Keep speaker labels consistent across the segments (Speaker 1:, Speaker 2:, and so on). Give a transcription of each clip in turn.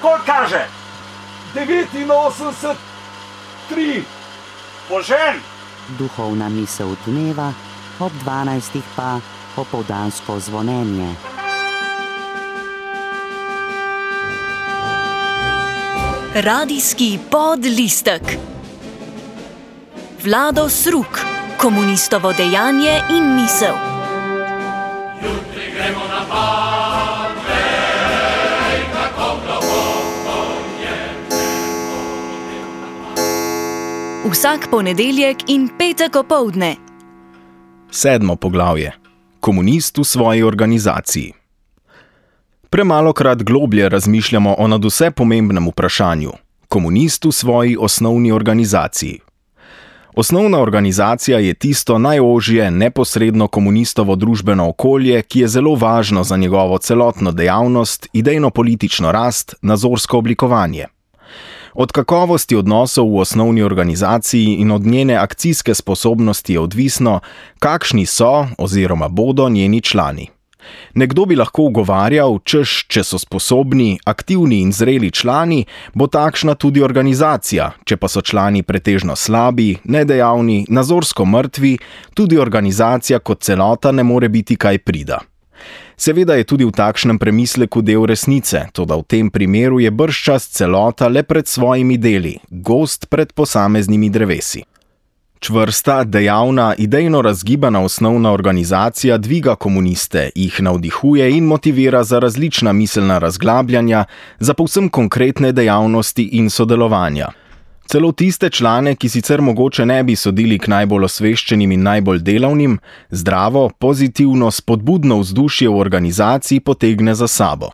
Speaker 1: Koliko kaže? 89, 3. Požen!
Speaker 2: Duhovna misel dneva, ob 12. pa popoldansko zvonjenje.
Speaker 3: Radijski podlistek. Vlado Sruk, komunistovo dejanje in misel.
Speaker 4: Jutri gremo na Parnej, kako globoko je nebo.
Speaker 3: Vsak ponedeljek in petek opoldne.
Speaker 5: 7. poglavje. Komunist v svoji organizaciji. Premalokrat globlje razmišljamo o nadvse pomembnem vprašanju. Komunist v svoji osnovni organizaciji. Osnovna organizacija je tisto najožje, neposredno komunistovo družbeno okolje, ki je zelo važno za njegovo celotno dejavnost, idejno-politično rast, nazorsko oblikovanje. Od kakovosti odnosov v osnovni organizaciji in od njene akcijske sposobnosti je odvisno, kakšni so oziroma bodo njeni člani. Nekdo bi lahko ugovarjal, češ, če so sposobni, aktivni in zreli člani, bo takšna tudi organizacija, če pa so člani pretežno slabi, nedejavni, nazorsko mrtvi, tudi organizacija kot celota ne more biti kaj prida. Seveda je tudi v takšnem premisleku del resnice, toda v tem primeru je bržčas celota le pred svojimi deli, gozd pred posameznimi drevesi. Čvrsta, dejavna, idejno razgibana osnovna organizacija dviga komuniste, jih navdihuje in motivira za različna miselna razglabljanja, za povsem konkretne dejavnosti in sodelovanja. Celo tiste člane, ki sicer mogoče ne bi sodili k najbolj osveščenim in najbolj delavnim, zdravo, pozitivno, spodbudno vzdušje v organizaciji potegne za sabo.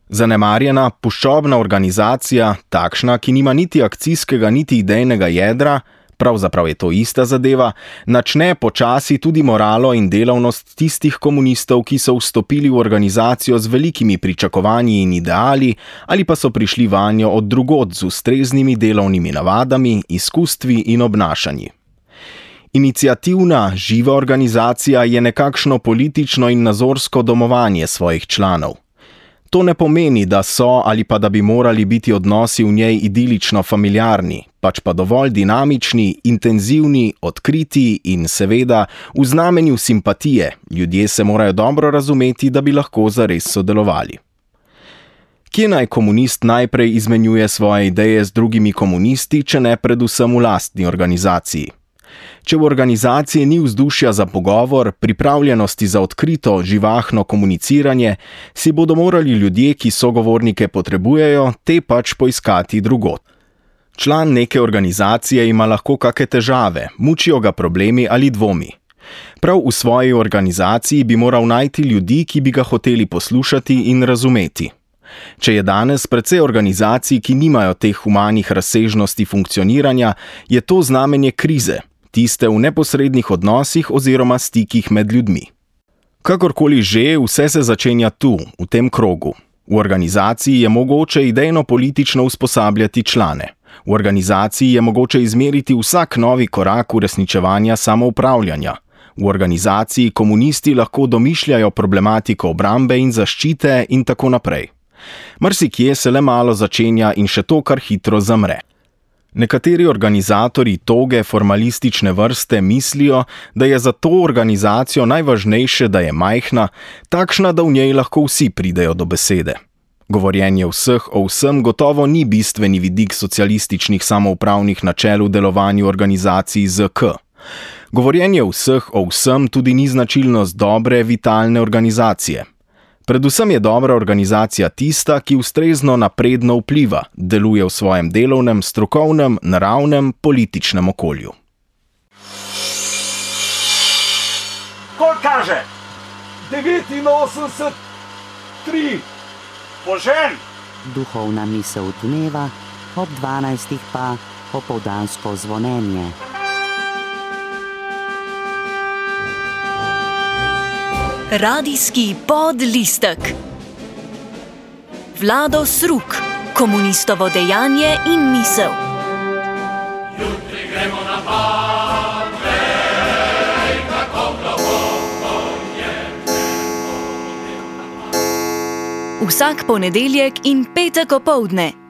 Speaker 5: Zanemarjena, puščobna organizacija, takšna, ki nima niti akcijskega niti idejnega jedra, pravzaprav je to ista zadeva, načne počasi tudi moralo in delavnost tistih komunistov, ki so vstopili v organizacijo z velikimi pričakovanji in ideali, ali pa so prišli vanjo od drugod z ustreznimi delovnimi navadami, izkustvi in obnašanji. Iniciativna, živa organizacija je nekakšno politično in nazorsko domovanje svojih članov. To ne pomeni, da so ali pa da bi morali biti odnosi v njej idilično familiarni, pač pa dovolj dinamični, intenzivni, odkriti in seveda v znamenju simpatije. Ljudje se morajo dobro razumeti, da bi lahko zares sodelovali. Kje naj komunist najprej izmenjuje svoje ideje z drugimi komunisti, če ne predvsem v lastni organizaciji? Če v organizaciji ni vzdušja za pogovor, pripravljenosti za odkrito, živahno komuniciranje, si bodo morali ljudje, ki sogovornike potrebujejo, te pač poiskati drugod. Član neke organizacije ima lahko kake težave, mučijo ga problemi ali dvomi. Prav v svoji organizaciji bi moral najti ljudi, ki bi ga hoteli poslušati in razumeti. Če je danes precej organizacij, ki nimajo teh humanih razsežnosti funkcioniranja, je to znamenje krize, tiste v neposrednih odnosih oziroma stikih med ljudmi. Kakorkoli že, vse se začenja tu, v tem krogu. V organizaciji je mogoče idejno-politično usposabljati člane. V organizaciji je mogoče izmeriti vsak novi korak uresničevanja samoupravljanja. V organizaciji komunisti lahko domišljajo problematiko obrambe in zaščite in tako naprej. Marsikje se le malo začenja in še to kar hitro zamre. Nekateri organizatorji toge formalistične vrste mislijo, da je za to organizacijo najvažnejše, da je majhna, takšna, da v njej lahko vsi pridejo do besede. Govorjenje vseh o vsem gotovo ni bistveni vidik socialističnih samoupravnih načel v delovanju organizacij ZK. Govorjenje vseh o vsem tudi ni značilnost dobre, vitalne organizacije. Predvsem je dobra organizacija tista, ki ustrezno napredno vpliva, deluje v svojem delovnem, strokovnem, naravnem, političnem okolju.
Speaker 1: Koliko kaže? 89, 3. Požen!
Speaker 2: Duhovna misel dneva, ob 12. pa popoldansko zvonjenje.
Speaker 3: Radijski podlistek. Vlado Sruk, komunistovo dejanje in misel.
Speaker 4: Jutri gremo na Parnej, kako globoko je nebo.
Speaker 3: Vsak ponedeljek in petek opoldne.